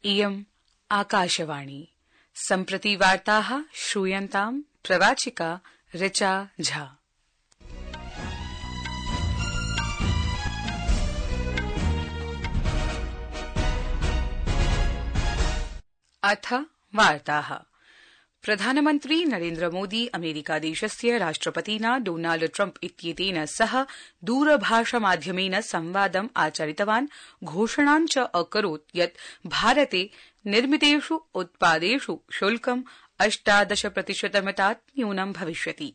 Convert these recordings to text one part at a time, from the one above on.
इयम् आकाशवाणी। सम्प्रति वार्ताः श्रूयन्ताम् प्रवाचिका ऋचा झा। अथ वार्ताः। प्रधानमन्त्री नरेन्द्र मोदी अमेरिकादेशस्य राष्ट्रपतिना डोनाल्ड ट्रम्प इत्येतेन सह दूरभाषमाध्यमेन संवादम् आचरितवान्। घोषणां च अकरोत् यत् भारते निर्मितेषु उत्पादेषु शुल्कं 18% न्यूनं भविष्यति।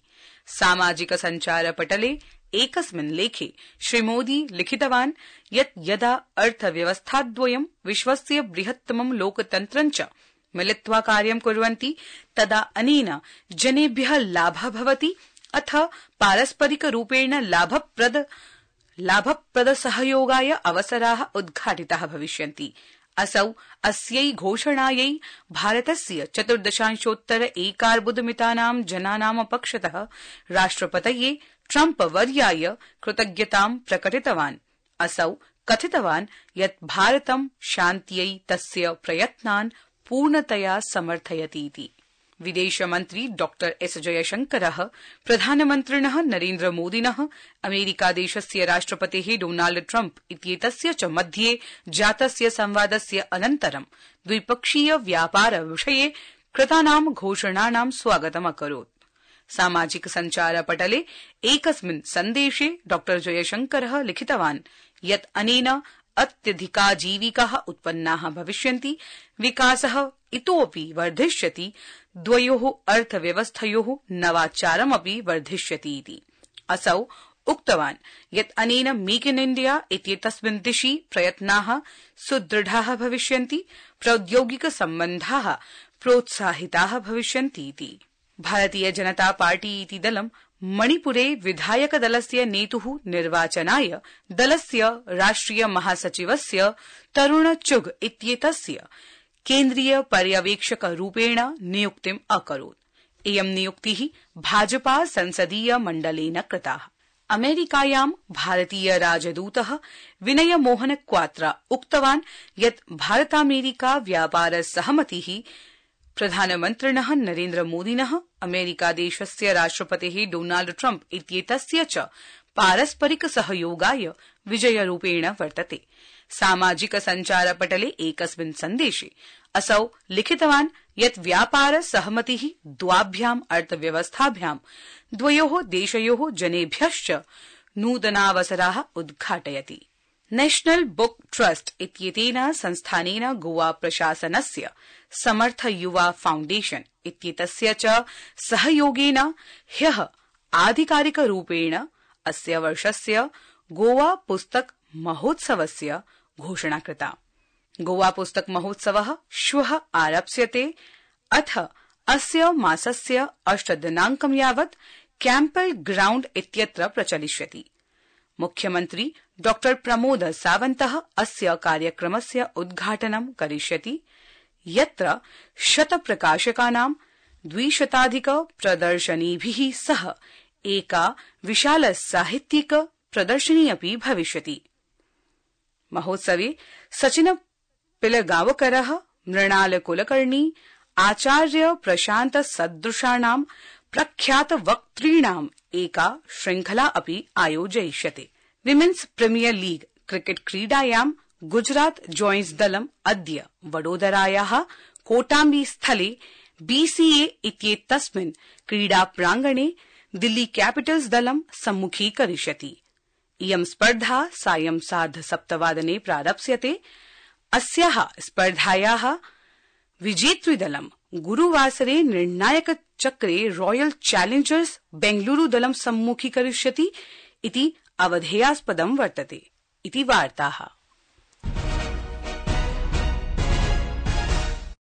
सामाजिक सञ्चारपटले एकस्मिन् लेखे श्रीमोदी लिखितवान् यत् यदा अर्थव्यवस्थाद्वयं विश्वस्य बृहत्तमं लोकतन्त्रं च मिलित्वा कार्यं कुर्वन्ति तदा अनेन जनेभ्यः लाभः भवति अथ पारस्परिकरूपेण लाभप्रद सहयोगाय अवसराः उद्घाटिताः भविष्यन्ति। असौ अस्यै घोषणायै भारतस्य 14.1 एकार्बुदमितानां जनानां पक्षतः राष्ट्रपतये ट्रम्प वर्याय कृतज्ञतां प्रकटितवान्। असौ कथितवान् यत् भारतं शान्त्यै तस्य प्रयत्नान् पूर्णतया समर्थयतीति। विदेशमन्त्री डॉ एस जयशंकरः प्रधानमन्त्रिणः नरेन्द्र मोदिनः अमेरिकादेशस्य राष्ट्रपतेः डोनाल्ड ट्रम्प इत्येतस्य च मध्ये जातस्य संवादस्य अनन्तरं द्विपक्षीय व्यापार विषये कृतानां घोषणानां स्वागतमकरोत्। सामाजिक सञ्चारपटले एकस्मिन् सन्देशे डॉ जयशंकरः लिखितवान् यत् अनेन अत्यधिकाजीविकाः उत्पन्नाः भविष्यन्ति, विकासः इतोऽपि वर्धिष्यति, द्वयोः अर्थव्यवस्थयोः नवाचारमपि वर्धिष्यति इति। असौ उक्तवान् यत् अनेन मेक इन इण्डिया इत्येतस्मिन् दिशि प्रयत्नाः सुदृढाः भविष्यन्ति, प्रौद्योगिक सम्बन्धाः प्रोत्साहिताः भविष्यन्ति इति। भारतीय जनता पार्टी इति दलं मणिपुरे विधायकदलस्य नेतुः निर्वाचनाय दलस्य राष्ट्रिय महासचिवस्य तरुण चुग इत्येतस्य केन्द्रीय पर्यवेक्षकरूपेण नियुक्तिम् अकरोत्। इयं नियुक्तिः भाजपा संसदीय मण्डलेन कृता। अमेरिकायां भारतीय राजदूतः विनय मोहन क्वात्रा उक्तवान् यत् भारतामेरिका व्यापार सहमतिः प्रधानमन्त्रिणः नरेन्द्र मोदिनः अमेरिकादेशस्य राष्ट्रपतेः डोनाल्ड ट्रम्प इत्येतस्य च पारस्परिक सहयोगाय विजयरूपेण वर्तते। सामाजिक सञ्चारपटले एकस्मिन् सन्देशे असौ लिखितवान् यत् व्यापार सहमतिः द्वाभ्याम् अर्थव्यवस्थाभ्यां द्वयोः देशयोः जनेभ्यश्च नूतनावसराः उद्घाटयति। नेशनल बुक ट्रस्ट इत्येतेन संस्थानेन गोवा प्रशासनस्य समर्थ युवा फाउण्डेशन इत्येतस्य च सहयोगेन ह्यः आधिकारिकरूपेण अस्य वर्षस्य गोवा पुस्तक महोत्सवस्य घोषणा कृता। गोवा पुस्तक महोत्सवः श्वः आरप्स्यते अथ अस्य मासस्य 8 दिनाङ्कं यावत् कैम्पल ग्राउण्ड इत्यत्र प्रचलिष्यति। मुख्यमन्त्री डॉ प्रमोद सावन्तः अस्य कार्यक्रमस्य उद्घाटनं करिष्यति, यत्र 100 प्रकाशकानां 200 प्रदर्शनीभिः सह एका विशाल साहित्यिक प्रदर्शनी अपि भविष्यति। महोत्सवे सचिन पिलगांवकरः, मृणाल कुलकर्णी, आचार्य प्रशान्त सदृशानां प्रख्यात वक्तॄणाम् एका श्रृंखला अपि आयोजयिष्यते। विमेन्स प्रीमियर लीग क्रिकेट क्रीडायां गुजरात जॉयन्ट्स दलम् अद्य वडोदरायाः कोटाम्बी स्थले बीसीए इत्येतस्मिन् क्रीडा प्राङ्गणे दिल्ली कैपिटल्स दलं सम्मुखीकरिष्यति। इयं स्पर्धा सायं 7:30 प्रारप्स्यते। अस्याः स्पर्धायाः विजेतृदलं गुरुवासरे निर्णायक चक्रे रॉयल चैलेंजर्स बेंगलुरु दलं सम्मुखीकरिष्यति इति अवधेयास्पदं वर्तते इति वार्ताः।